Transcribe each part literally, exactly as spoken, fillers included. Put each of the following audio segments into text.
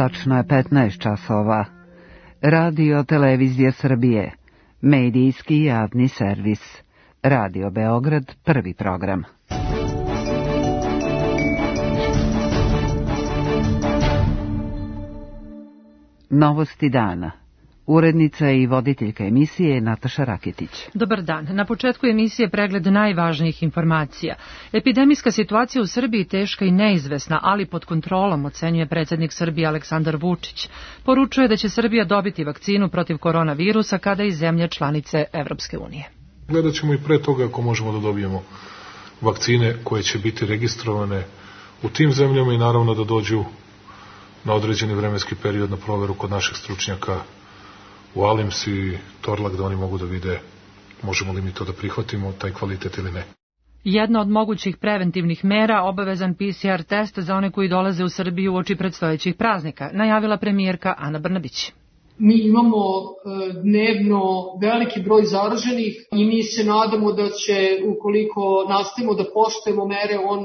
Tačno je petnaest časova. Radio Televizija Srbije. Medijski javni servis. Radio Beograd, prvi program. Novosti dana. Urednica i voditeljka emisije Nataša Raketić. Dobar dan. Na početku emisije pregled najvažnijih informacija. Epidemijska situacija u Srbiji teška i neizvesna, ali pod kontrolom, ocenjuje predsjednik Srbije Aleksandar Vučić. Poručuje da će Srbija dobiti vakcinu protiv koronavirusa kada i zemlje članice Evropske unije. Gledat ćemo i pre toga ako možemo da dobijemo vakcine koje će biti registrovane u tim zemljama i naravno da dođu na određeni vremenski period na proveru kod naših stručnjaka u Alims i Torlak, da oni mogu da vide možemo li mi to da prihvatimo, taj kvalitet ili ne. Jedna od mogućih preventivnih mera, obavezan P C R test za one koji dolaze u Srbiju uoči predstojećih praznika, najavila premijerka Ana Brnabić. Mi imamo dnevno veliki broj zaraženih i mi se nadamo da će, ukoliko nastavimo da poštujemo mere, on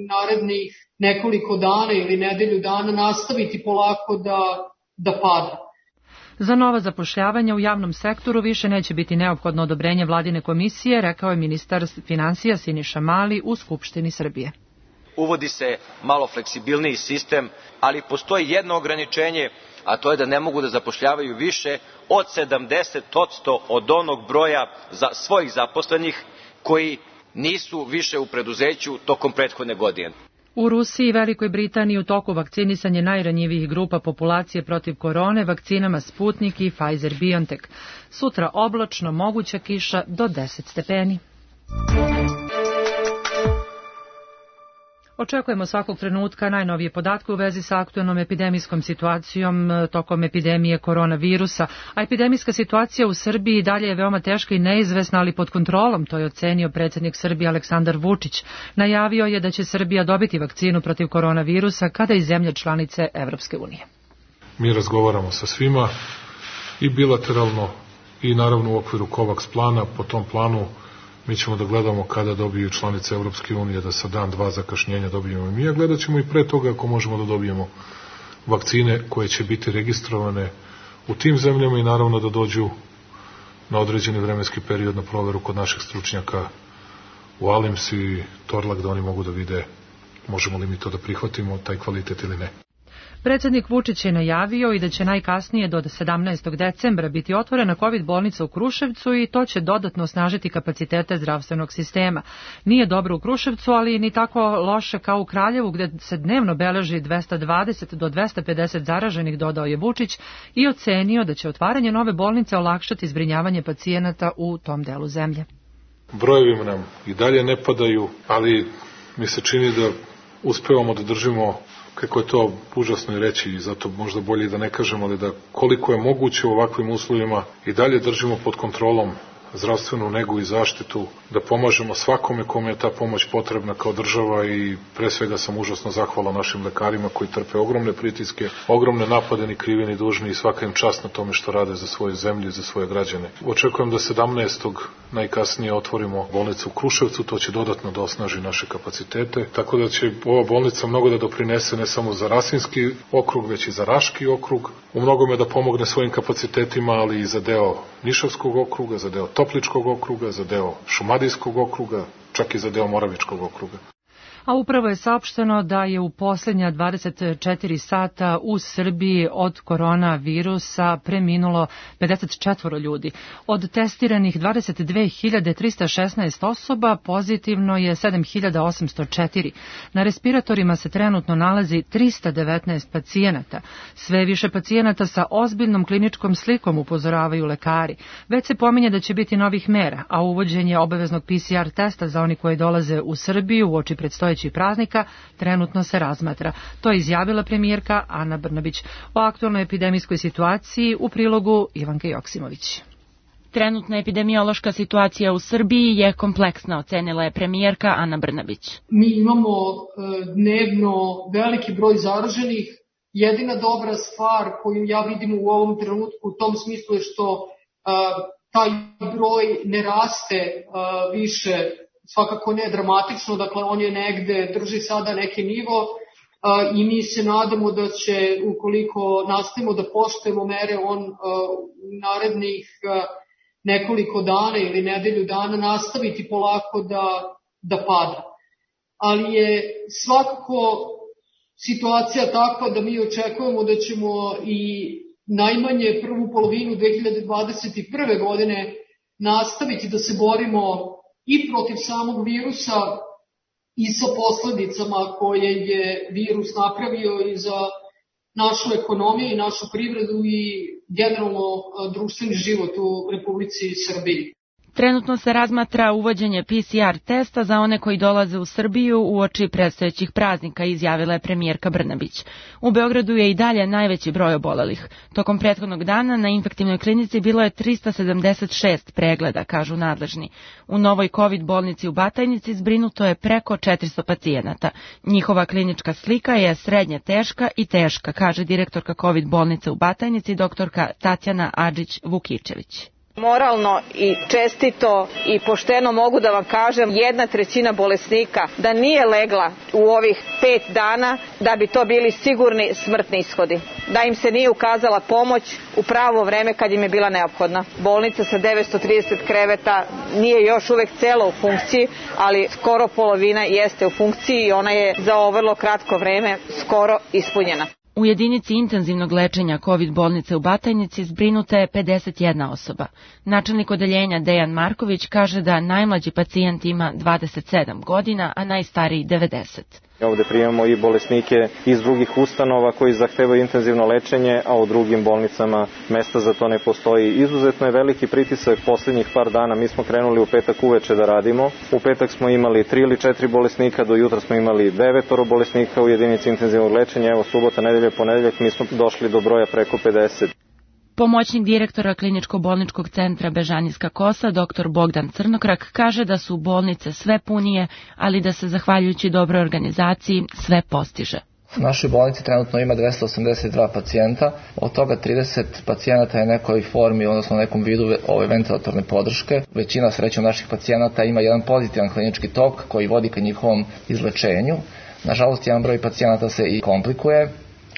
narednih nekoliko dana ili nedelju dana nastaviti polako da, da pada. Za nova zapošljavanja u javnom sektoru više neće biti neophodno odobrenje vladine komisije, rekao je ministar finansija Siniša Mali u Skupštini Srbije. Uvodi se malo fleksibilniji sistem, ali postoji jedno ograničenje, a to je da ne mogu da zapošljavaju više od sedamdeset posto od onog broja za svojih zaposlenih koji nisu više u preduzeću tokom prethodne godine. U Rusiji i Velikoj Britaniji u toku vakcinisanje najranjivijih grupa populacije protiv korone vakcinama Sputnik i Pfizer-BioNTech. Sutra oblačno, moguća kiša do deset stepeni. Očekujemo svakog trenutka najnovije podatke u vezi sa aktuelnom epidemijskom situacijom tokom epidemije koronavirusa, a epidemijska situacija u Srbiji dalje je veoma teška i neizvesna, ali pod kontrolom, to je ocenio predsjednik Srbije Aleksandar Vučić. Najavio je da će Srbija dobiti vakcinu protiv koronavirusa kada i zemlje članice Evropske unije. Mi razgovaramo sa svima i bilateralno i naravno u okviru COVAX plana. Po tom planu mi ćemo da gledamo kada dobiju članice Evropske unije, da sa dan, dva zakašnjenja dobijemo i mi, a gledat ćemo i pre toga ako možemo da dobijemo vakcine koje će biti registrovane u tim zemljama i naravno da dođu na određeni vremenski period na proveru kod naših stručnjaka u Alims i Torlak, da oni mogu da vide možemo li mi to da prihvatimo, taj kvalitet ili ne. Predsjednik Vučić je najavio i da će najkasnije do sedamnaestog decembra biti otvorena COVID bolnica u Kruševcu i to će dodatno osnažiti kapacitete zdravstvenog sistema. Nije dobro u Kruševcu, ali ni tako loše kao u Kraljevu, gdje se dnevno beleži dvesta dvadeset do dvesta pedeset zaraženih, dodao je Vučić i ocenio da će otvaranje nove bolnice olakšati zbrinjavanje pacijenata u tom delu zemlje. Brojevi nam i dalje ne padaju, ali mi se čini da uspevamo da držimo, kako je to užasno i reći i zato možda bolje da ne kažemo, ali da koliko je moguće u ovakvim uslovima i dalje držimo pod kontrolom zdravstvenu negu i zaštitu, da pomažemo svakome kome je ta pomoć potrebna kao država i pre svega sam užasno zahvalan našim lekarima koji trpe ogromne pritiske, ogromne napade ni krivi ni dužni i svaka im čast na tome što rade za svoju zemlju i za svoje građane. Očekujem da sedamnaestog najkasnije otvorimo bolnicu u Kruševcu, to će dodatno da osnaži naše kapacitete, tako da će ova bolnica mnogo da doprinese ne samo za Rasinski okrug, već i za Raški okrug, u mnogome da pomogne svojim kapacitetima, ali i za deo Nišavskog okruga, za deo Topličkog okruga, za deo Šumadijskog okruga, čak i za deo Moravičkog okruga. A upravo je saopšteno da je u posljednja dvadeset četiri sata u Srbiji od koronavirusa preminulo pedeset četiri ljudi. Od testiranih dvadeset dve hiljade trista šesnaest osoba pozitivno je sedam hiljada osamsto četiri. Na respiratorima se trenutno nalazi trista devetnaest pacijenata. Sve više pacijenata sa ozbiljnom kliničkom slikom, upozoravaju lekari. Već se pominje da će biti novih mera, a uvođenje obaveznog P C R testa za oni koji dolaze u Srbiju uoči predstojećih praznika trenutno se razmatra. To je izjavila premijerka Ana Brnabić. O aktualnoj epidemijskoj situaciji u prilogu Ivanke Joksimović. Trenutna epidemiološka situacija u Srbiji je kompleksna, ocenila je premijerka Ana Brnabić. Mi imamo dnevno veliki broj zaraženih. Jedina dobra stvar koju ja vidim u ovom trenutku u tom smislu je što taj broj ne raste više, svakako ne dramatično, dakle on je negde, drži sada neki nivo, i mi se nadamo da će, ukoliko nastavimo da poštujemo mere, on u narednih nekoliko dana ili nedelju dana nastaviti polako da, da pada. Ali je svakako situacija takva da mi očekujemo da ćemo i najmanje prvu polovinu dve hiljade dvadeset prve. godine nastaviti da se borimo i protiv samog virusa i sa posledicama koje je virus napravio i za našu ekonomiju i našu privredu i generalno društveni život u Republici Srbiji. Trenutno se razmatra uvođenje P C R testa za one koji dolaze u Srbiju uoči predstojećih praznika, izjavila je premijerka Brnabić. U Beogradu je i dalje najveći broj obolelih. Tokom prethodnog dana na infektivnoj klinici bilo je trista sedamdeset šest pregleda, kažu nadležni. U novoj COVID bolnici u Batajnici zbrinuto je preko četiristo pacijenata. Njihova klinička slika je srednje teška i teška, kaže direktorka COVID bolnice u Batajnici, doktorka Tatjana Adžić-Vukičević. Moralno i čestito i pošteno mogu da vam kažem, jedna trećina bolesnika da nije legla u ovih pet dana, da bi to bili sigurni smrtni ishodi. Da im se nije ukazala pomoć u pravo vreme kad im je bila neophodna. Bolnica sa devetsto trideset kreveta nije još uvek cela u funkciji, ali skoro polovina jeste u funkciji i ona je za ovo vrlo kratko vreme skoro ispunjena. U jedinici intenzivnog lečenja COVID bolnice u Batajnici zbrinuta je pedeset jedna osoba. Načelnik odeljenja Dejan Marković kaže da najmlađi pacijent ima dvadeset sedam godina, a najstariji devedeset. Ovde primamo i bolesnike iz drugih ustanova koji zahtevaju intenzivno lečenje, a u drugim bolnicama mesta za to ne postoji. Izuzetno je veliki pritisak poslednjih par dana. Mi smo krenuli u petak uveče da radimo. U petak smo imali tri ili četiri bolesnika, do jutra smo imali devetoro bolesnika u jedinici intenzivnog lečenja. Evo subota, nedelja, ponedeljak mi smo došli do broja preko pedeset. Pomoćnik direktora kliničko-bolničkog centra Bežanijska Kosa, dr Bogdan Crnokrak, kaže da su bolnice sve punije, ali da se zahvaljujući dobroj organizaciji sve postiže. U našoj bolnici trenutno ima dvesta osamdeset dva pacijenta, od toga trideset pacijenata je nekoj formi, odnosno nekom vidu ove ventilatorne podrške. Većina srećom naših pacijenata ima jedan pozitivan klinički tok koji vodi ka njihovom izlečenju. Nažalost, jedan broj pacijenata se i komplikuje,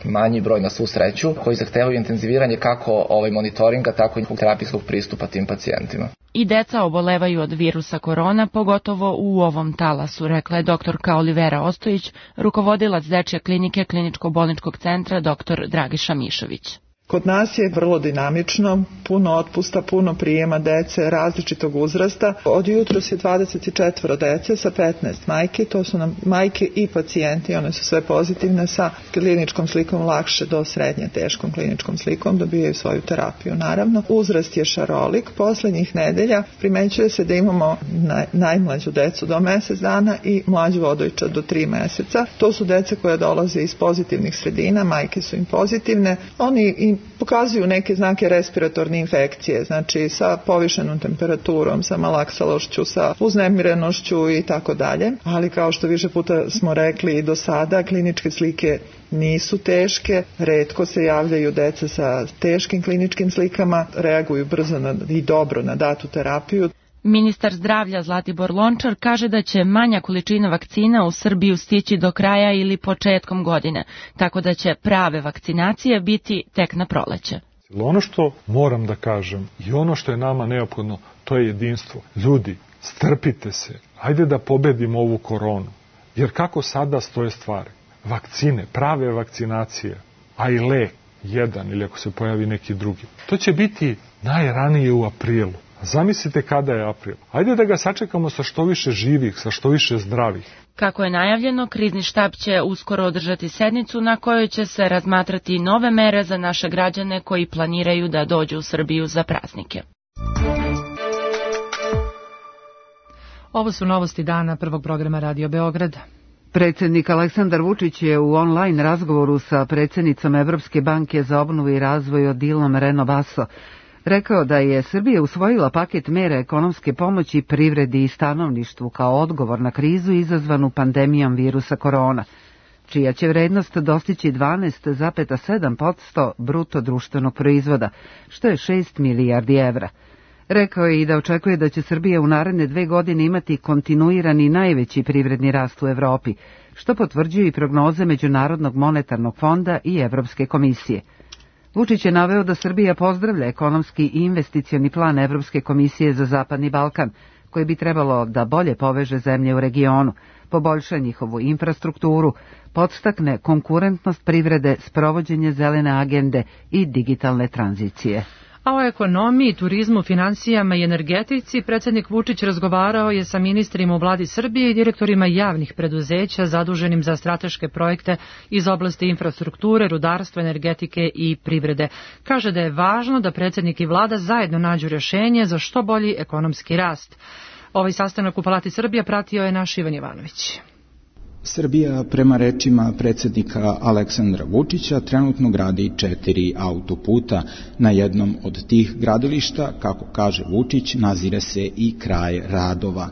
manji broj na svu sreću, koji zahtevaju intenziviranje kako ovaj monitoringa, tako i terapijskog pristupa tim pacijentima. I deca obolevaju od virusa korona, pogotovo u ovom talasu, rekla je doktorka Olivera Ostojić, rukovodilac dečje klinike kliničko-bolničkog centra dr Dragiša Mišović. Kod nas je vrlo dinamično, puno otpusta, puno prijema dece različitog uzrasta. Od jutros je dvadeset četiri dece sa petnaest majke, to su nam majke i pacijenti, one su sve pozitivne sa kliničkom slikom lakše do srednje teškom kliničkom slikom, dobijaju svoju terapiju naravno. Uzrast je šarolik, poslednjih nedelja primećuje se da imamo naj, najmlađu decu do mesec dana i mlađu odojčad do tri meseca. To su dece koje dolaze iz pozitivnih sredina, majke su im pozitivne, oni im pokazuju neke znake respiratorne infekcije, znači sa povišenom temperaturom, sa malaksalošću, sa uznemirenošću i tako dalje. Ali kao što više puta smo rekli i do sada, kliničke slike nisu teške, retko se javljaju deca sa teškim kliničkim slikama, reaguju brzo na, i dobro na datu terapiju. Ministar zdravlja Zlatibor Lončar kaže da će manja količina vakcina u Srbiju stići do kraja ili početkom godine, tako da će prave vakcinacije biti tek na proleće. Ono što moram da kažem i ono što je nama neophodno, to je jedinstvo. Ljudi, strpite se, hajde da pobedimo ovu koronu, jer kako sada stoje stvari? Vakcine, prave vakcinacije, a i lek, jedan ili ako se pojavi neki drugi. To će biti najranije u aprilu. Zamislite kada je april. Ajde da ga sačekamo sa što više živih, sa što više zdravih. Kako je najavljeno, krizni štab će uskoro održati sednicu na kojoj će se razmatrati nove mere za naše građane koji planiraju da dođu u Srbiju za praznike. Ovo su novosti dana prvog programa Radio Beograd. Predsjednik Aleksandar Vučić je u online razgovoru sa predsjednicom Evropske banke za obnovu i razvoj Odilom Reno Basso rekao da je Srbija usvojila paket mera ekonomske pomoći privredi i stanovništvu kao odgovor na krizu izazvanu pandemijom virusa korona, čija će vrednost dostići dvanaest zarez sedam posto bruto društvenog proizvoda, što je šest milijardi evra. Rekao je i da očekuje da će Srbija u naredne dve godine imati kontinuirani najveći privredni rast u Evropi, što potvrđuju i prognoze Međunarodnog monetarnog fonda i Evropske komisije. Vučić je naveo da Srbija pozdravlja ekonomski i investicioni plan Evropske komisije za Zapadni Balkan, koji bi trebalo da bolje poveže zemlje u regionu, poboljša njihovu infrastrukturu, podstakne konkurentnost privrede, sprovođenje zelene agende i digitalne tranzicije. A o ekonomiji, turizmu, finansijama i energetici predsjednik Vučić razgovarao je sa ministrima u vladi Srbije i direktorima javnih preduzeća zaduženim za strateške projekte iz oblasti infrastrukture, rudarstva, energetike i privrede. Kaže da je važno da predsjednik i vlada zajedno nađu rješenje za što bolji ekonomski rast. Ovaj sastanak u Palati Srbija pratio je naš Ivan Jovanović. Srbija, prema rečima predsjednika Aleksandra Vučića, trenutno gradi četiri autoputa. Na jednom od tih gradilišta, kako kaže Vučić, nazire se i kraj radova.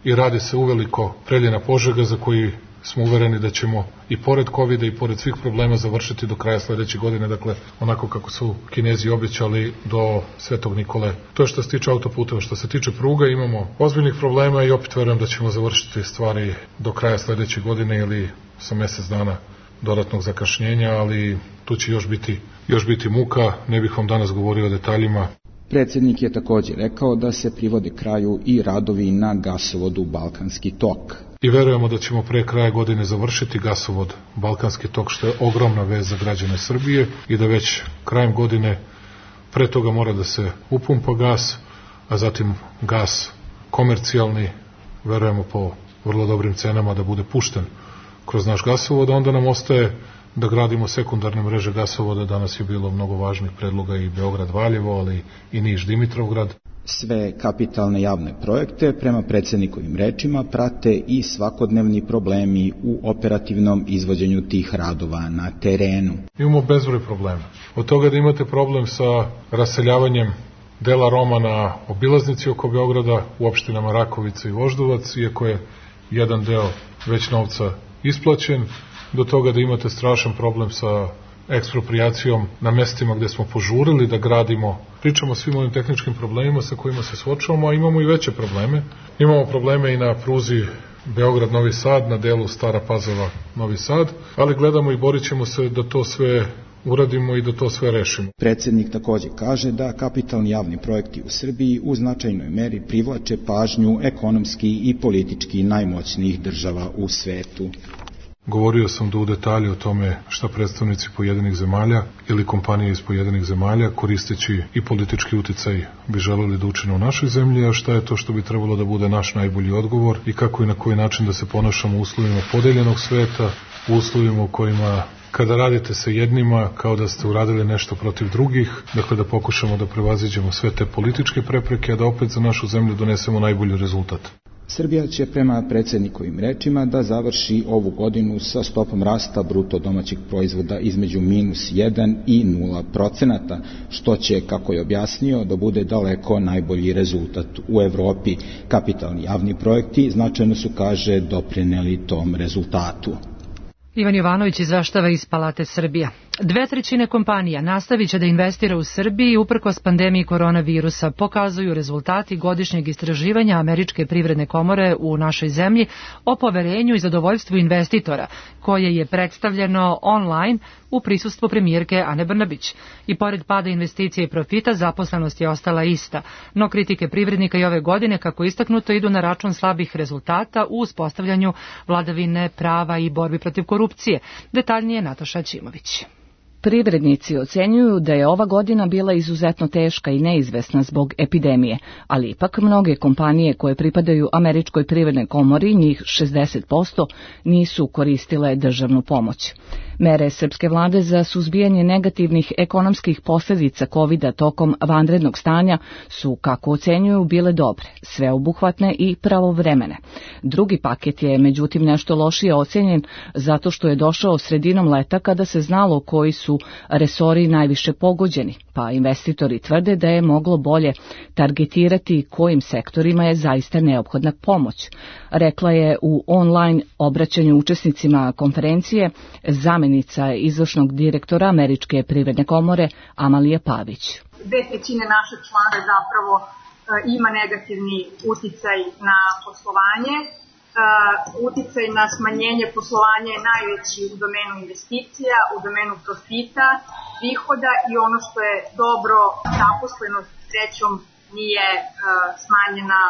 I radi se uveliko Preljina-Požega, za koji smo uvereni da ćemo i pored kovida i pored svih problema završiti do kraja sledeće godine, dakle onako kako su Kinezi obećali do Svetog Nikole. To je što se tiče autoputeva. Što se tiče pruga, imamo ozbiljnih problema i opet verujem da ćemo završiti stvari do kraja sledeće godine ili sa mesec dana dodatnog zakašnjenja, ali tu će još biti, još biti muka, ne bih vam danas govorio o detaljima. Predsjednik je također rekao da se privode kraju i radovi na gasovodu Balkanski tok. I verujemo da ćemo pre kraja godine završiti gasovod Balkanski tok, što je ogromna vez za građane Srbije, i da već krajem godine pre toga mora da se upumpa gas, a zatim gas komercijalni, verujemo po vrlo dobrim cenama, da bude pušten kroz naš gasovod. Onda nam ostaje da gradimo sekundarne mreže gasovoda. Danas je bilo mnogo važnih predloga i Beograd-Valjevo, ali i Niš-Dimitrovgrad. Sve kapitalne javne projekte, prema predsjednikovim rečima, prate i svakodnevni problemi u operativnom izvođenju tih radova na terenu. Imamo bezbroj problema. Od toga da imate problem sa raseljavanjem dela Roma na obilaznici oko Beograda u opštinama Rakovica i Voždovac, iako je jedan deo već novca isplaćen, do toga da imate strašan problem sa eksproprijacijom na mestima gde smo požurili da gradimo. Pričamo o svim ovim tehničkim problemima sa kojima se suočavamo, a imamo i veće probleme. Imamo probleme i na pruzi Beograd-Novi Sad, na delu Stara Pazova-Novi Sad, ali gledamo i borit ćemo se da to sve uradimo i da to sve rešimo. Predsjednik također kaže da kapitalni javni projekti u Srbiji u značajnoj meri privlače pažnju ekonomski i politički najmoćnijih država u svetu. Govorio sam da u detalje o tome šta predstavnici pojedinih zemalja ili kompanije iz pojedinih zemalja, koristeći i politički uticaj, bi želeli da učine u našoj zemlji, a šta je to što bi trebalo da bude naš najbolji odgovor i kako i na koji način da se ponašamo u uslovima podeljenog sveta, u uslovima u kojima kada radite sa jednima kao da ste uradili nešto protiv drugih, dakle da pokušamo da prevaziđemo sve te političke prepreke, a da opet za našu zemlju donesemo najbolji rezultat. Srbija će prema predsjednikovim rečima da završi ovu godinu sa stopom rasta bruto domaćeg proizvoda između minus jedan i nula procenata, što će, kako je objasnio, da bude daleko najbolji rezultat u Evropi. Kapitalni javni projekti značajno su, kaže, doprineli tom rezultatu. Ivan Jovanović izveštava iz Palate Srbija. Dve trećine kompanija nastavit će da investira u Srbiji uprkos pandemiji koronavirusa, pokazuju rezultati godišnjeg istraživanja Američke privredne komore u našoj zemlji o poverenju i zadovoljstvu investitora, koje je predstavljeno online u prisustvu premijerke Ane Brnabić. I pored pada investicija i profita, zaposlenost je ostala ista, no kritike privrednika i ove godine, kako istaknuto, idu na račun slabih rezultata u uspostavljanju vladavine prava i borbi protiv korupcije. Detaljnije Nataša Ćimović. Privrednici ocenjuju da je ova godina bila izuzetno teška i neizvesna zbog epidemije, ali ipak mnoge kompanije koje pripadaju Američkoj privrednoj komori, njih šezdeset posto, nisu koristile državnu pomoć. Mere srpske vlade za suzbijanje negativnih ekonomskih posljedica kovida tokom vanrednog stanja su, kako ocenjuju, bile dobre, sveobuhvatne i pravovremene. Drugi paket je, međutim, nešto lošije ocenjen zato što je došao sredinom leta kada se znalo koji su su resori najviše pogođeni, pa investitori tvrde da je moglo bolje targetirati kojim sektorima je zaista neophodna pomoć. Rekla je u online obraćanju učesnicima konferencije zamenica izvršnog direktora Američke privredne komore Amalija Pavić. Dve trećine našeg člana zapravo ima negativni uticaj na poslovanje. Uticaj na smanjenje poslovanja je najveći u domenu investicija, u domenu profita, prihoda i ono što je dobro, zaposlenost srećom nije smanjena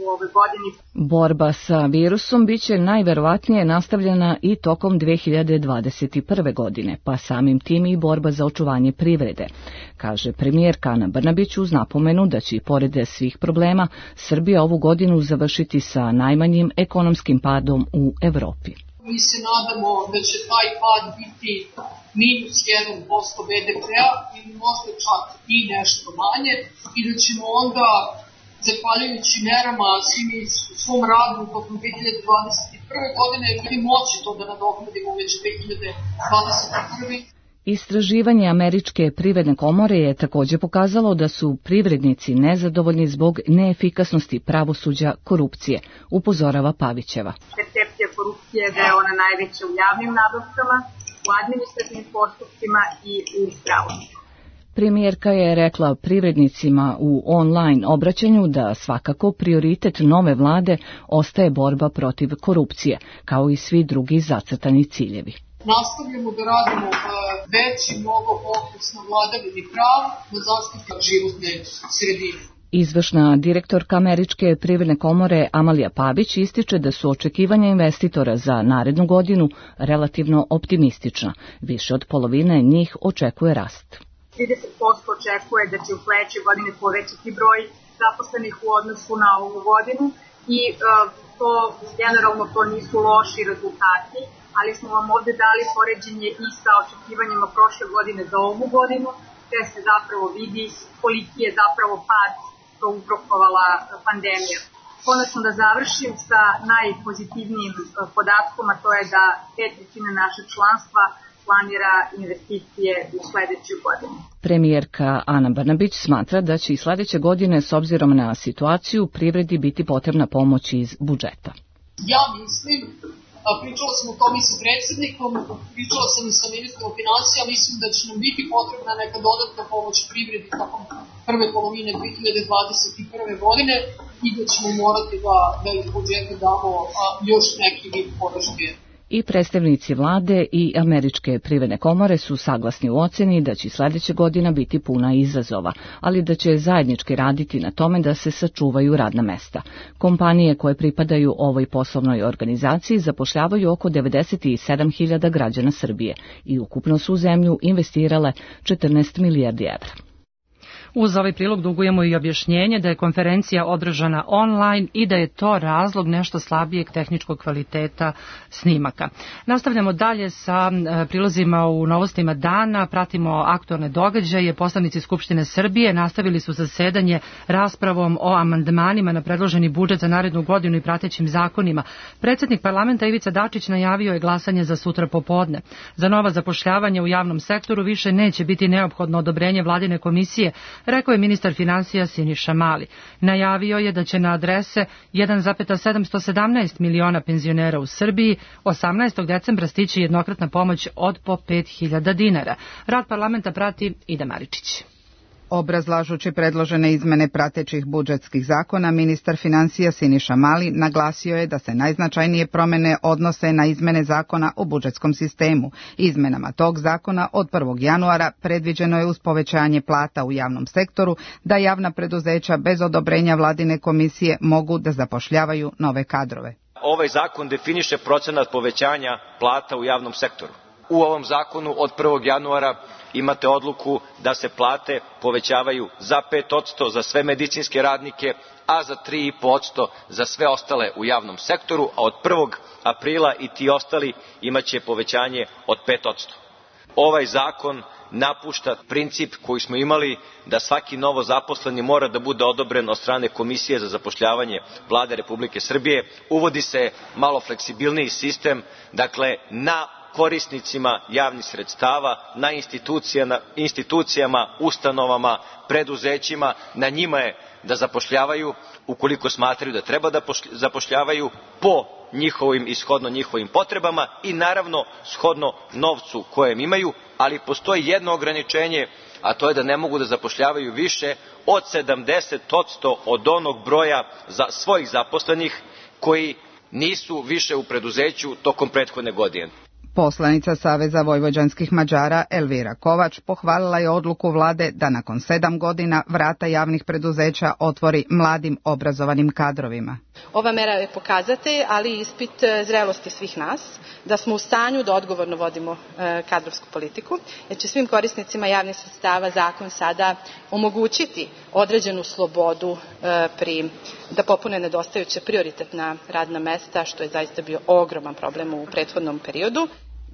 u ovoj godini. Borba sa virusom biće najverovatnije nastavljena i tokom dve hiljade dvadeset prve. godine, pa samim tim i borba za očuvanje privrede, kaže premijerka Ana Brnabić uz napomenu da će i pored svih problema Srbija ovu godinu završiti sa najmanjim ekonomskim padom u Evropi. Mi se nadamo da će taj pad biti minus jedan posto be de pe-a ili možda čak i nešto manje i da ćemo onda, zahvaljujući merama svim u svom radu tokom dve hiljade dvadeset prve. godine, biti moći to da nadoknadimo već dve hiljade dvadeset prve. Istraživanje Američke privredne komore je također pokazalo da su privrednici nezadovoljni zbog neefikasnosti pravosuđa korupcije, upozorava Pavićeva. Percepcija korupcije da je ona najveća u javnim nabavkama, u administrativnim postupcima i u pravosuđu. Premijerka je rekla privrednicima u online obraćanju da svakako prioritet nove vlade ostaje borba protiv korupcije, kao i svi drugi zacrtani ciljevi. Nastavljamo da radimo veći mnogo fokus na vladavini prava, na zaštitu životne sredine. Izvršna direktorka Američke privredne komore Amalija Pavić ističe da su očekivanja investitora za narednu godinu relativno optimistična. Više od polovine njih očekuje rast. trideset posto očekuje da će u sledećoj godini povećati broj zaposlenih u odnosu na ovu godinu i uh, to generalno to nisu loši rezultati, ali smo vam ovde dali poređenje i sa očekivanjima prošle godine za ovu godinu, gde se zapravo vidi koliki je zapravo pad to uzrokovala pandemija. Konačno da završim sa najpozitivnijim podatkom, a to je da pet trećina našeg članstva planira investicije u sledećoj godini. Premijerka Ana Brnabić smatra da će i sledeće godine s obzirom na situaciju privredi biti potrebna pomoć iz budžeta. Ja mislim, pričala sam o tome i sa predsjednikom, pričala sam i sa ministrom finansija, mislim da će nam biti potrebna neka dodatna pomoć privredi tokom prve polovine dve hiljade dvadeset prve. godine i da ćemo morati da, da iz budžeta damo a, još neki vid podrške. I predstavnici vlade i Američke privredne komore su saglasni u oceni da će sledeća godina biti puna izazova, ali da će zajednički raditi na tome da se sačuvaju radna mesta. Kompanije koje pripadaju ovoj poslovnoj organizaciji zapošljavaju oko devedeset sedam hiljada građana Srbije i ukupno su u zemlju investirale četrnaest milijardi evra. Uz ovaj prilog dugujemo i objašnjenje da je konferencija održana online i da je to razlog nešto slabijeg tehničkog kvaliteta snimaka. Nastavljamo dalje sa prilozima u novostima dana, pratimo aktualne događaje. Poslanici Skupštine Srbije nastavili su zasedanje raspravom o amandmanima na predloženi budžet za narednu godinu i pratećim zakonima. Predsjednik parlamenta Ivica Dačić najavio je glasanje za sutra popodne. Za nova zapošljavanja u javnom sektoru više neće biti neophodno odobrenje vladine komisije, rekao je ministar finansija Siniša Mali. Najavio je da će na adrese jedan zarez sedamsto sedamnaest miliona penzionera u Srbiji osamnaestog decembra stići jednokratna pomoć od po pet hiljada dinara. Rad parlamenta prati Ida Maričić. Obrazlažući predložene izmene pratećih budžetskih zakona, ministar finansija Siniša Mali naglasio je da se najznačajnije promene odnose na izmene zakona o budžetskom sistemu. Izmenama tog zakona od prvog januara predviđeno je uz povećanje plata u javnom sektoru da javna preduzeća bez odobrenja vladine komisije mogu da zapošljavaju nove kadrove. Ovaj zakon definiše procenat povećanja plata u javnom sektoru. U ovom zakonu od prvog januara imate odluku da se plate povećavaju za pet posto za sve medicinske radnike, a za tri i po posto za sve ostale u javnom sektoru, a od prvog aprila i ti ostali imaće povećanje od pet posto. Ovaj zakon napušta princip koji smo imali da svaki novo zaposleni mora da bude odobren od strane Komisije za zapošljavanje Vlade Republike Srbije. Uvodi se malo fleksibilniji sistem, dakle na korisnicima javnih sredstava, na institucijama, institucijama, ustanovama, preduzećima, na njima je da zapošljavaju ukoliko smatraju da treba da zapošljavaju po njihovim i shodno njihovim potrebama i naravno shodno novcu kojem imaju, ali postoji jedno ograničenje, a to je da ne mogu da zapošljavaju više od sedamdeset posto od onog broja za svojih zaposlenih koji nisu više u preduzeću tokom prethodne godine. Poslanica Saveza vojvođanskih Mađara Elvira Kovač pohvalila je odluku vlade da nakon sedam godina vrata javnih preduzeća otvori mladim obrazovanim kadrovima. Ova mera je pokazatelj, ali i ispit zrelosti svih nas, da smo u stanju da odgovorno vodimo kadrovsku politiku, jer će svim korisnicima javnih sredstava zakon sada omogućiti određenu slobodu pri, da popune nedostajuće prioritetna radna mesta, što je zaista bio ogroman problem u prethodnom periodu.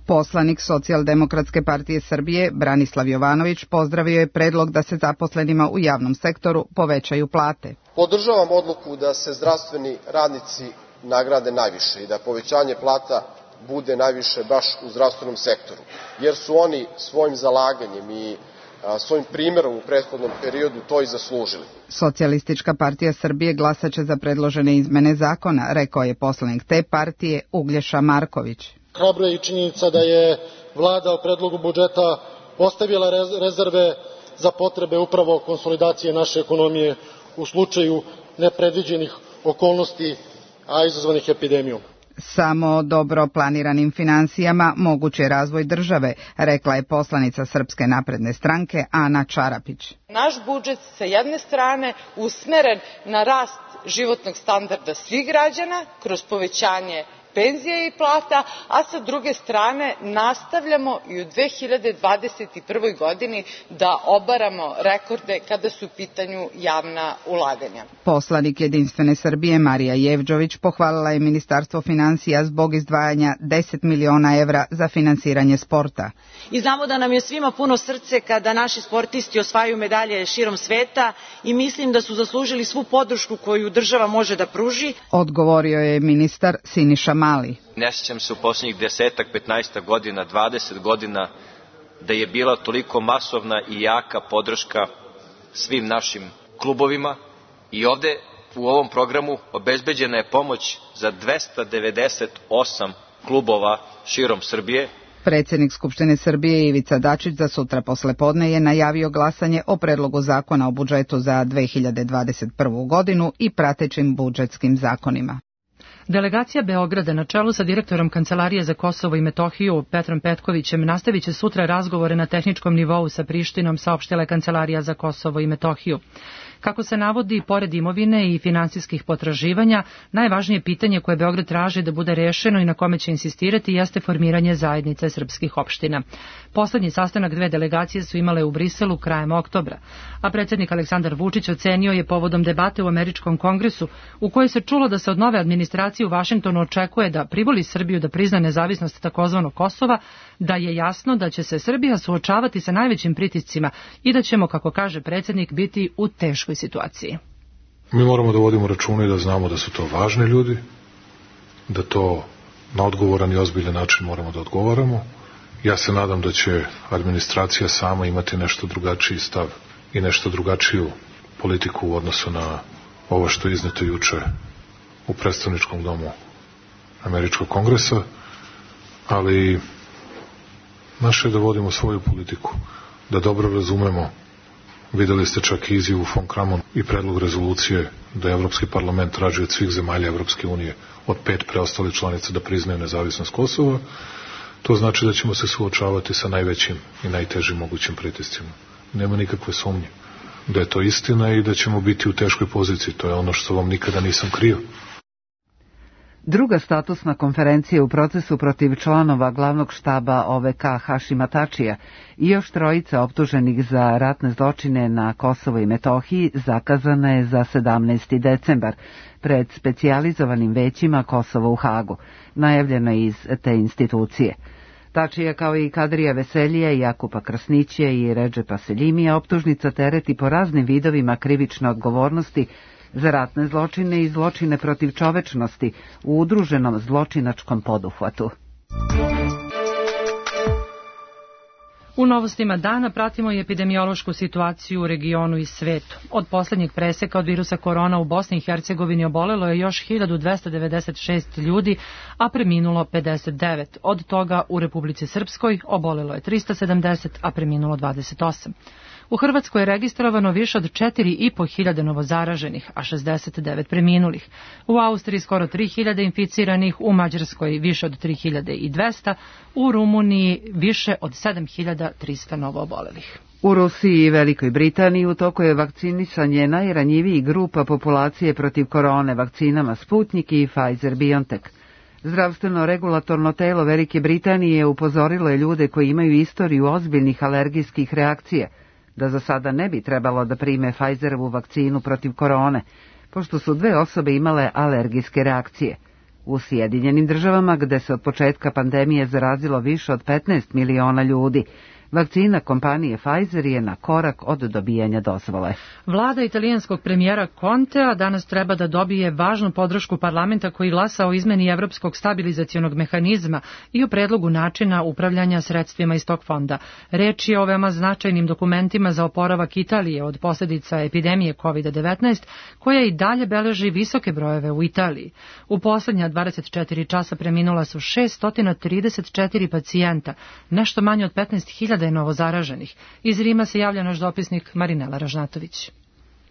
Poslanik Socijaldemokratske partije Srbije Branislav Jovanović pozdravio je predlog da se zaposlenima u javnom sektoru povećaju plate. Podržavam odluku da se zdravstveni radnici nagrade najviše i da povećanje plata bude najviše baš u zdravstvenom sektoru, jer su oni svojim zalaganjem i svojim primjerom u prethodnom periodu to i zaslužili. Socijalistička partija Srbije glasaće za predložene izmene zakona, rekao je poslanik te partije Uglješa Marković. Hrabro je i činjenica da je vlada u predlogu budžeta ostavila rezerve za potrebe upravo konsolidacije naše ekonomije u slučaju nepredviđenih okolnosti, a izazvanih epidemijom. Samo dobro planiranim finansijama moguć je razvoj države, rekla je poslanica Srpske napredne stranke Ana Čarapić. Naš budžet sa jedne strane usmeren na rast životnog standarda svih građana kroz povećanje penzije i plata, a sa druge strane nastavljamo i u dve hiljade dvadeset prvoj godini da obaramo rekorde kada su u pitanju javna ulaganja. Poslanik Jedinstvene Srbije Marija Jevđović pohvalila je Ministarstvo finansija zbog izdvajanja deset miliona evra za finansiranje sporta. I znamo da nam je svima puno srce kada naši sportisti osvajaju medalje širom sveta i mislim da su zaslužili svu podršku koju država može da pruži. Odgovorio je ministar Siniša Mali. Ne sjećam se u posljednjih desetak, petnaestak godina, dvadeset godina da je bila toliko masovna i jaka podrška svim našim klubovima i ovde u ovom programu obezbeđena je pomoć za dvesta devedeset osam klubova širom Srbije. Predsjednik Skupštine Srbije Ivica Dačić za sutra poslepodne je najavio glasanje o predlogu zakona o budžetu za dve hiljade dvadeset prvu godinu i pratećim budžetskim zakonima. Delegacija Beograda na čelu sa direktorom Kancelarije za Kosovo i Metohiju Petrom Petkovićem nastavit će sutra razgovore na tehničkom nivou sa Prištinom, saopštila je Kancelarija za Kosovo i Metohiju. Kako se navodi, pored imovine i finansijskih potraživanja, najvažnije pitanje koje Beograd traži da bude rešeno i na kome će insistirati jeste formiranje zajednice srpskih opština. Poslednji sastanak dve delegacije su imale u Briselu krajem oktobra, a predsjednik Aleksandar Vučić ocenio je povodom debate u Američkom kongresu u kojoj se čulo da se od nove administracije u Vašingtonu očekuje da privoli Srbiju da prizna nezavisnost takozvanog Kosova, da je jasno da će se Srbija suočavati sa najvećim pritiscima i da ćemo, kako kaže predsjednik, biti u teškoj situaciji. Mi moramo da vodimo računa i da znamo da su to važni ljudi, da to na odgovoran i ozbiljan način moramo da odgovaramo. Ja se nadam da će administracija sama imati nešto drugačiji stav i nešto drugačiju politiku u odnosu na ovo što je izneto juče u predstavničkom domu Američkog kongresa, ali naše je da vodimo svoju politiku, da dobro razumemo. Videli ste čak i izjavu von Kramon i predlog rezolucije da je Evropski parlament traži od svih zemalja Evropske unije, od pet preostalih članica, da priznaju nezavisnost Kosova. To znači da ćemo se suočavati sa najvećim i najtežim mogućim pritiscima. Nema nikakve sumnje da je to istina i da ćemo biti u teškoj poziciji. To je ono što vam nikada nisam krio. Druga statusna konferencija u procesu protiv članova glavnog štaba O V K Hašima Tačija i još trojica optuženih za ratne zločine na Kosovo i Metohiji zakazana je za sedamnaesti decembar pred specijalizovanim većima Kosova u Hagu, najavljeno iz te institucije. Tačija kao i Kadrija Veselija, Jakupa Krasnića i Redžepa Seljimija optužnica tereti po raznim vidovima krivične odgovornosti za ratne zločine i zločine protiv čovečnosti u udruženom zločinačkom poduhvatu. U novostima dana pratimo i epidemiološku situaciju u regionu i svetu. Od poslednjeg preseka od virusa korona u Bosni i Hercegovini obolelo je još hiljadu dvesta devedeset šest ljudi, a preminulo pedeset devet. Od toga u Republici Srpskoj obolelo je trista sedamdeset, a preminulo dvadeset osam. U Hrvatskoj je registrovano više od četiri i po hiljade novozaraženih, a šezdeset devet preminulih. U Austriji skoro tri hiljade inficiranih, u Mađarskoj više od tri hiljade dvesta, u Rumuniji više od sedam hiljada trista novoobolelih. U Rusiji i Velikoj Britaniji u toku je vakcinisanje najranjivijih grupa populacije protiv korone vakcinama Sputnik i Pfizer-BioNTech. Zdravstveno regulatorno telo Velike Britanije upozorilo je ljude koji imaju istoriju ozbiljnih alergijskih reakcija da za sada ne bi trebalo da prime Pfizerovu vakcinu protiv korone, pošto su dve osobe imale alergijske reakcije. U Sjedinjenim državama, gde se od početka pandemije zarazilo više od petnaest miliona ljudi, vakcina kompanije Pfizer je na korak od dobijanja dozvole. Vlada italijanskog premijera Contea danas treba da dobije važnu podršku parlamenta koji glasa o izmeni Evropskog stabilizacionog mehanizma i o predlogu načina upravljanja sredstvima iz tog fonda. Reč je o veoma značajnim dokumentima za oporavak Italije od posljedica epidemije kovid devetnaest, koja i dalje beleži visoke brojeve u Italiji. U poslednja dvadeset četiri časa preminula su šessto trideset četiri pacijenta, nešto manje od petnaest hiljada je novozaraženih. Iz Rima se javlja naš dopisnik Marinela Ražnatović.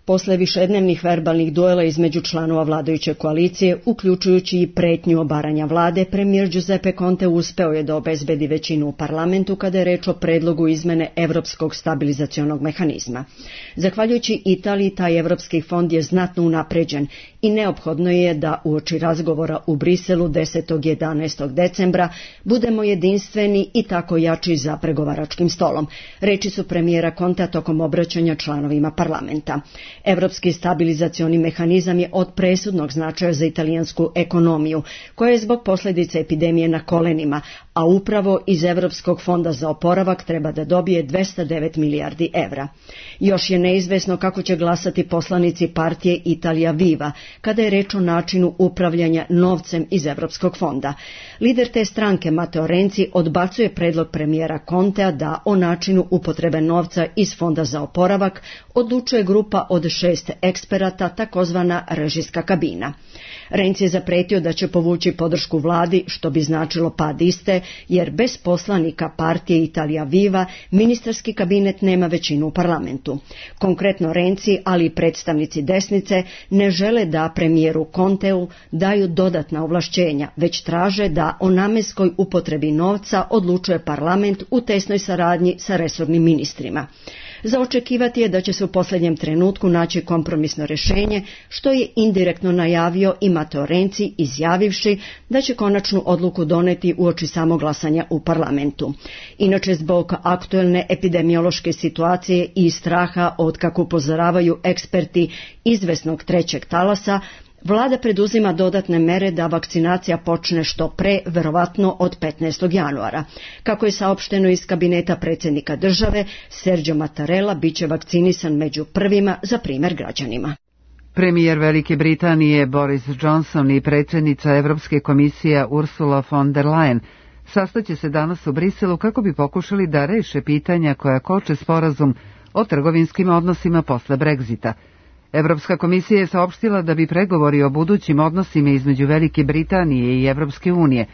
Posle višednevnih verbalnih duela između članova vladajuće koalicije, uključujući i pretnju obaranja vlade, premijer Giuseppe Conte uspeo je da obezbedi većinu u parlamentu kada je reč o predlogu izmene Evropskog stabilizacionog mehanizma. Zahvaljujući Italiji, taj Evropski fond je znatno unapređen i neophodno je da uoči razgovora u Briselu desetog i jedanaestog decembra budemo jedinstveni i tako jači za pregovaračkim stolom. Reči su premijera Contea tokom obraćanja članovima parlamenta. Evropski stabilizacioni mehanizam je od presudnog značaja za italijansku ekonomiju, koja je zbog posljedica epidemije na kolenima, a upravo iz Evropskog fonda za oporavak treba da dobije dvesta devet milijardi evra. Još je neizvesno kako će glasati poslanici partije Italia Viva, kada je reč o načinu upravljanja novcem iz Evropskog fonda. Lider te stranke, Matteo Renzi, odbacuje predlog premijera Contea da o načinu upotrebe novca iz fonda za oporavak odlučuje grupa od šest eksperata, takozvana režijska kabina. Renzi je zapretio da će povući podršku vladi, što bi značilo pad iste, jer bez poslanika partije Italia Viva ministarski kabinet nema većinu u parlamentu. Konkretno Renzi, ali i predstavnici desnice, ne žele da premijeru Conteu daju dodatna ovlašćenja, već traže da o namenskoj upotrebi novca odlučuje parlament u tesnoj saradnji sa resornim ministrima. Za očekivati je da će se u posljednjem trenutku naći kompromisno rješenje, što je indirektno najavio i Matteo Renzi, izjavivši da će konačnu odluku doneti uoči samog glasanja u parlamentu. Inače, zbog aktuelne epidemiološke situacije i straha od, kako upozoravaju eksperti, izvesnog trećeg talasa, Vlada preduzima dodatne mere da vakcinacija počne što pre, verovatno od petnaestog januara. Kako je saopšteno iz kabineta predsjednika države, Sergio Mattarella biće vakcinisan među prvima za primjer građanima. Premijer Velike Britanije Boris Johnson i predsjednica Evropske komisije Ursula von der Leyen sastaće se danas u Briselu kako bi pokušali da reše pitanja koja koče sporazum o trgovinskim odnosima posle Brexita. Evropska komisija je saopštila da bi pregovori o budućim odnosima između Velike Britanije i Evropske unije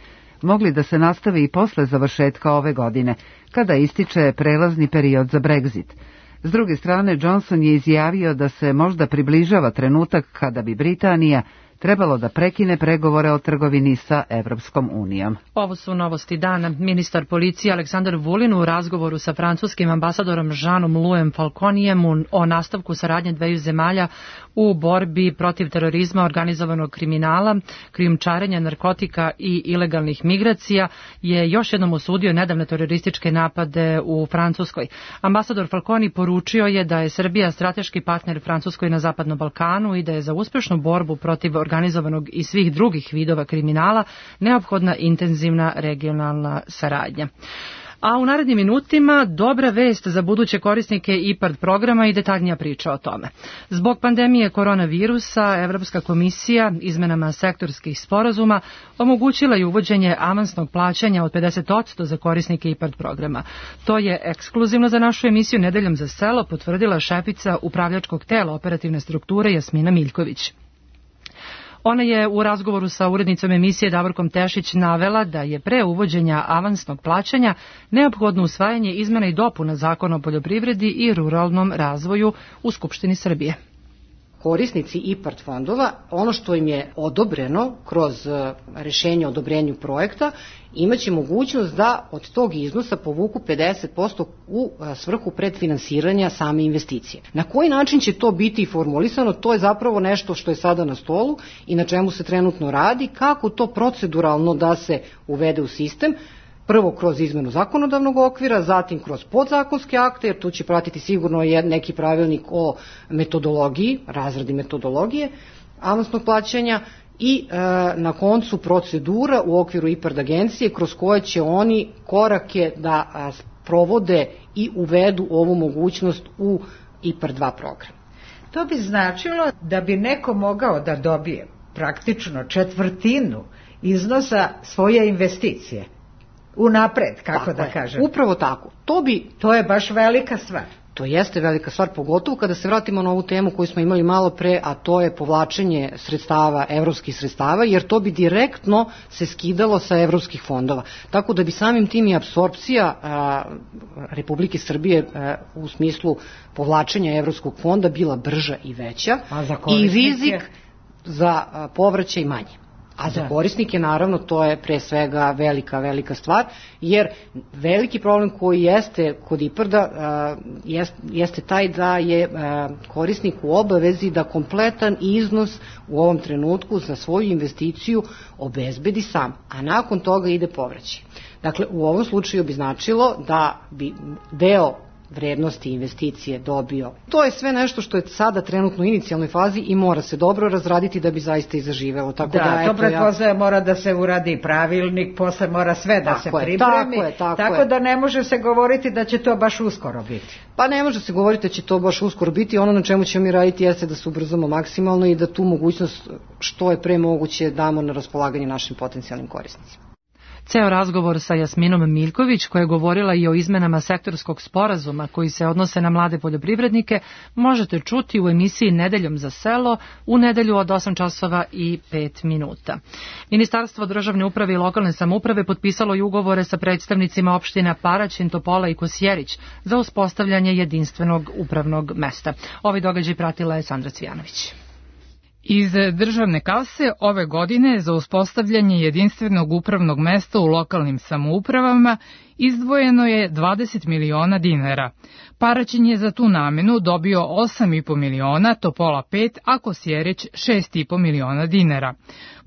mogli da se nastave i posle završetka ove godine, kada ističe prelazni period za Brexit. S druge strane, Johnson je izjavio da se možda približava trenutak kada bi Britanija trebalo da prekine pregovore o trgovini sa Evropskom unijom. Ovo su novosti dana. Ministar policije Aleksandar Vulin u razgovoru sa francuskim ambasadorom Jeanom Louisem Falconijem o nastavku saradnje dveju zemalja u borbi protiv terorizma, organizovanog kriminala, krijumčarenja narkotika i ilegalnih migracija je još jednom osudio nedavne terorističke napade u Francuskoj. Ambasador Falconi poručio je da je Srbija strateški partner Francuskoj na Zapadnom Balkanu i da je za uspešnu borbu protiv organizovanog i svih drugih vidova kriminala neophodna intenzivna regionalna saradnja. A u narednim minutima dobra vest za buduće korisnike IPARD programa i detaljnija priča o tome. Zbog pandemije koronavirusa, Evropska komisija izmenama sektorskih sporazuma omogućila je uvođenje avansnog plaćanja od pedeset posto za korisnike IPARD programa. To je ekskluzivno za našu emisiju Nedeljom za selo potvrdila šefica upravljačkog tela operativne strukture Jasmina Miljković. Ona je u razgovoru sa urednicom emisije Davorkom Tešić navela da je pre uvođenja avansnog plaćanja neophodno usvajanje izmena i dopuna Zakona o poljoprivredi i ruralnom razvoju u Skupštini Srbije. Korisnici IPARD fondova, ono što im je odobreno kroz rešenje o odobrenju projekta, imaće mogućnost da od tog iznosa povuku pedeset posto u svrhu predfinansiranja same investicije. Na koji način će to biti formulisano, to je zapravo nešto što je sada na stolu i na čemu se trenutno radi, kako to proceduralno da se uvede u sistem, prvo kroz izmenu zakonodavnog okvira, zatim kroz podzakonske akte, jer tu će pratiti sigurno neki pravilnik o metodologiji, razradi metodologije avansnog plaćanja i e, na koncu procedura u okviru IPARD agencije kroz koje će oni korake da a, provode i uvedu ovu mogućnost u IPARD dva program. To bi značilo da bi neko mogao da dobije praktično četvrtinu iznosa svoje investicije. Unapred, kako tako da je, kažem. Upravo tako. To bi, to je baš velika stvar. To jeste velika stvar, pogotovo kada se vratimo na ovu temu koju smo imali malo pre, a to je povlačenje sredstava, evropskih sredstava, jer to bi direktno se skidalo sa evropskih fondova. Tako da bi samim tim i apsorpcija a, Republike Srbije a, u smislu povlačenja evropskog fonda bila brža i veća i rizik za a, povraćaj manje. A za korisnike, naravno, to je pre svega velika, velika stvar, jer veliki problem koji jeste kod IPARD-a jeste taj da je korisnik u obavezi da kompletan iznos u ovom trenutku za svoju investiciju obezbedi sam, a nakon toga ide povraćaj. Dakle, u ovom slučaju bi značilo da bi deo vrednosti investicije dobio. To je sve nešto što je sada trenutno u inicijalnoj fazi i mora se dobro razraditi da bi zaista i zaživelo. Tako da, da to pretpostavlja ja... mora da se uradi pravilnik, posle mora sve da tako se pripremi, tako, je, tako, tako da ne može se govoriti da će to baš uskoro biti. Pa ne može se govoriti da će to baš uskoro biti, ono na čemu ćemo mi raditi jeste da se ubrzamo maksimalno i da tu mogućnost što je pre moguće damo na raspolaganje našim potencijalnim korisnicima. Ceo razgovor sa Jasminom Miljković, koja je govorila i o izmenama sektorskog sporazuma koji se odnose na mlade poljoprivrednike, možete čuti u emisiji Nedeljom za selo u nedelju od osam časova i pet minuta. Ministarstvo državne uprave i lokalne samouprave potpisalo je ugovore sa predstavnicima opština Paraćin, Topola i Kosjerić za uspostavljanje jedinstvenog upravnog mesta. Ovaj događaj pratila je Sandra Cvijanović. Iz državne kase ove godine za uspostavljanje jedinstvenog upravnog mesta u lokalnim samoupravama izdvojeno je dvadeset miliona dinara. Paraćin je za tu namenu dobio osam i po miliona, Topola pet, a Kosjerić šest i po miliona dinara.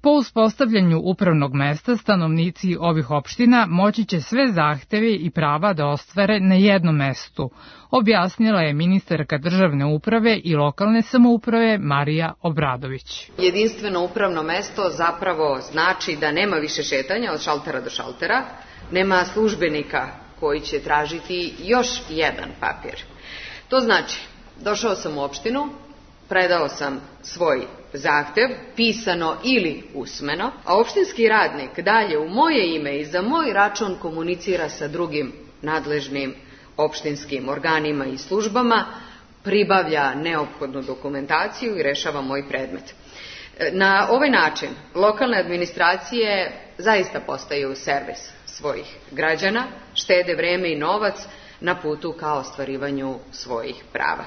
Po uspostavljanju upravnog mesta stanovnici ovih opština moći će sve zahteve i prava da ostvare na jednom mestu, objasnila je ministarka državne uprave i lokalne samouprave Marija Obradović. Jedinstveno upravno mesto zapravo znači da nema više šetanja od šaltera do šaltera, nema službenika koji će tražiti još jedan papir. To znači, došao sam u opštinu, predao sam svoj zahtev, pisano ili usmeno, a opštinski radnik dalje u moje ime i za moj račun komunicira sa drugim nadležnim opštinskim organima i službama, pribavlja neophodnu dokumentaciju i rešava moj predmet. Na ovaj način lokalne administracije zaista postaju servis svojih građana, štede vreme i novac na putu ka ostvarivanju svojih prava.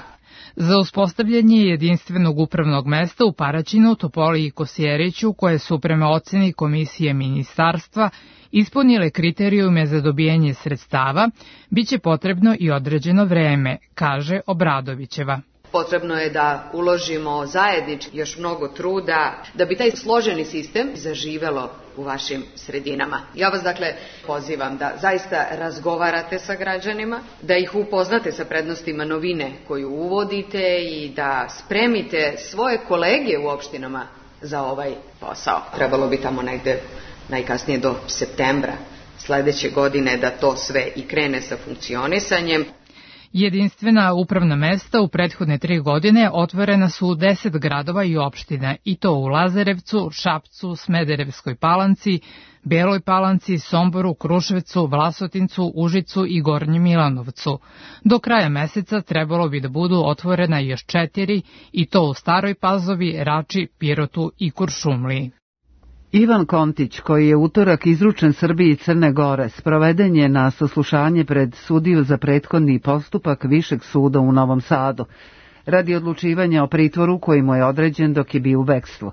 Za uspostavljanje jedinstvenog upravnog mesta u Paraćinu, Topoli i Kosjeriću, koje su prema oceni komisije ministarstva ispunile kriterijume za dobijanje sredstava, biće potrebno i određeno vreme, kaže Obradovićeva. Potrebno je da uložimo zajednički još mnogo truda da bi taj složeni sistem zaživelo u vašim sredinama. Ja vas dakle pozivam da zaista razgovarate sa građanima, da ih upoznate sa prednostima novine koju uvodite i da spremite svoje kolege u opštinama za ovaj posao. Trebalo bi tamo negde najkasnije do septembra sledeće godine da to sve i krene sa funkcionisanjem. Jedinstvena upravna mesta u prethodne tri godine otvorena su u deset gradova i opština, i to u Lazarevcu, Šapcu, Smederevskoj Palanci, Beloj Palanci, Somboru, Kruševcu, Vlasotincu, Užicu i Gornjem Milanovcu. Do kraja meseca trebalo bi da budu otvorena još četiri, i to u Staroj Pazovi, Rači, Pirotu i Kuršumliji. Ivan Kontić, koji je utorak izručen Srbiji i Crne Gore, sproveden je na saslušanje pred sudiju za prethodni postupak Višeg suda u Novom Sadu, radi odlučivanja o pritvoru koji mu je određen dok je bio u bekstvu.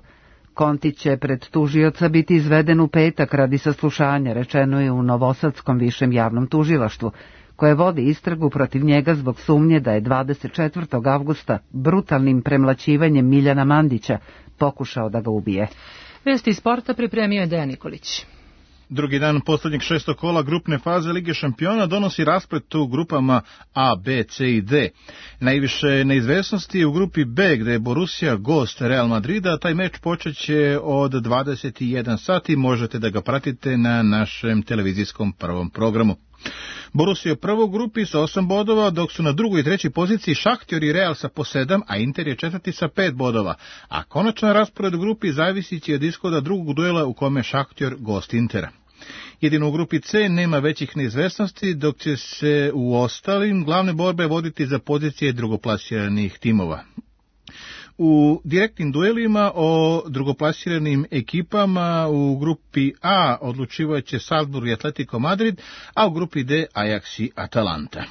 Kontić će pred tužioca biti izveden u petak radi saslušanja, rečeno je u Novosadskom višem javnom tužilaštvu, koje vodi istragu protiv njega zbog sumnje da je dvadeset četvrtog avgusta brutalnim premlaćivanjem Miljana Mandića pokušao da ga ubije. Vesti iz sporta pripremio je Dejan Nikolić. Drugi dan poslednjeg šestog kola grupne faze Lige šampiona donosi rasplet u grupama A, B, C i D. Najviše neizvesnosti je u grupi B, gde je Borussia gost Real Madrida. Taj meč počeće od dvadeset jedan sati. Možete da ga pratite na našem televizijskom prvom programu. Borussia je prvo u grupi sa osam bodova, dok su na drugoj i trećoj poziciji Šahtjor i Real sa po sedam, a Inter je četvrti sa pet bodova. A konačan raspored u grupi zavisit će od ishoda drugog duela u kome Šahtjor gost Intera. Jedino u grupi C nema većih neizvesnosti, dok će se u ostalim glavne borbe voditi za pozicije drugoplasiranih timova. U direktnim duelima o drugoplasiranim ekipama u grupi A odlučivaće Salzburg i Atletico Madrid, a u grupi D Ajax i Atalanta.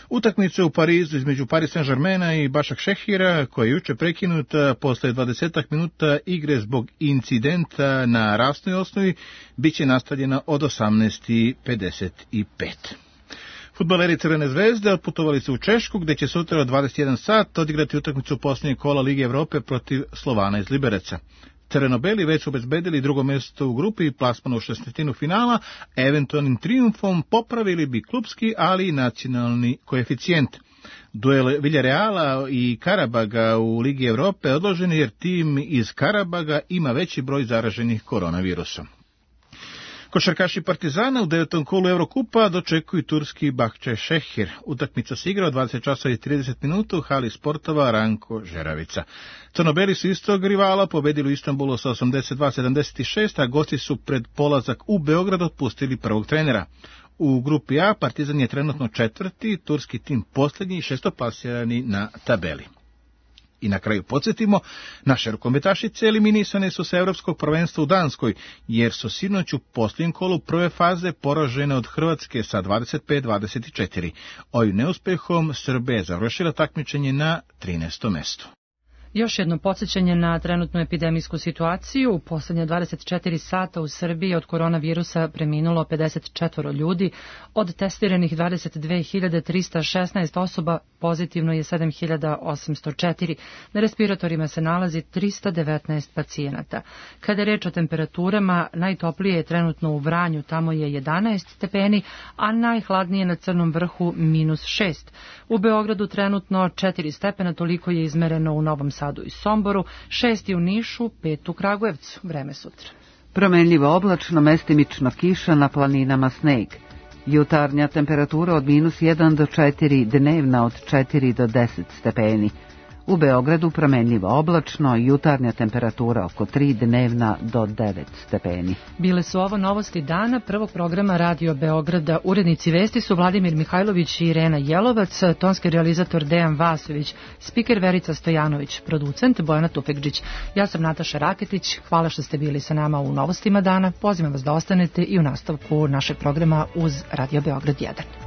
Utakmica u Parizu između Paris Saint-Germaina i Başak Šehira, koja je juče prekinuta posle dvadesetak minuta igre zbog incidenta na rasnoj osnovi, bit će nastavljena od osamnaest pedeset pet. Fudbaleri Crvene zvezde otputovali su u Češku, gde će sutra od dvadeset jedan sat odigrati utakmicu posljednjeg kola Lige Evrope protiv Slovana iz Libereca. Crvenobeli već su obezbedili drugo mjesto u grupi i plasman u šesnaestinu finala, eventualnim trijumfom popravili bi klupski, ali i nacionalni koeficijent. Duel Villarreala i Karabaga u Ligi Evrope odložen jer tim iz Karabaga ima veći broj zaraženih koronavirusom. Košarkaši Partizana u devetom kolu Evrokupa dočekuju turski Bahçeşehir. Utakmica se igra od dvadeset časova i trideset minuta u hali sportova Ranko Žeravica. Crnobeli su istog rivala pobedili u Istanbulu sa osamdeset dva sedamdeset šest, a gosti su pred polazak u Beograd otpustili prvog trenera. U grupi A Partizan je trenutno četvrti, turski tim posljednji i šestoplasirani na tabeli. I na kraju podsjetimo, naše rukometašice eliminisane su sa Evropskog prvenstva u Danskoj, jer su sinoć u posljednjem kolu prve faze poražene od Hrvatske sa dvadeset pet dvadeset četiri. Ovim neuspehom Srbija je završila takmičenje na trinaestom mestu. Još jedno podsjećanje na trenutnu epidemijsku situaciju. U poslednje dvadeset četiri sata u Srbiji od koronavirusa preminulo pedeset četiri ljudi. Od testiranih dvadeset dve hiljade trista šesnaest osoba pozitivno je sedam hiljada osamsto četiri. Na respiratorima se nalazi trista devetnaest pacijenata. Kada je reč o temperaturama, najtoplije je trenutno u Vranju, tamo je jedanaest stepeni, a najhladnije na Crnom vrhu minus šest. U Beogradu trenutno četiri stepena, toliko je izmereno u Novom Sadu i Somboru, šest u Nišu, pet u Kragujevcu. Vreme sutra. Promenljivo oblačno, mestimično kiša, na planinama sneg. Jutarnja temperatura od minus jedan do četiri, dnevna od četiri do deset stepeni. U Beogradu promenljivo oblačno, jutarnja temperatura oko tri, dnevna do devet stepeni. Bile su ovo novosti dana prvog programa Radio Beograda. Urednici vesti su Vladimir Mihajlović i Irena Jelovac, tonski realizator Dejan Vasović, spiker Verica Stojanović, producent Bojana Tupekđić. Ja sam Nataša Raketić, hvala što ste bili sa nama u novostima dana. Pozivam vas da ostanete i u nastavku našeg programa uz Radio Beograd jedan.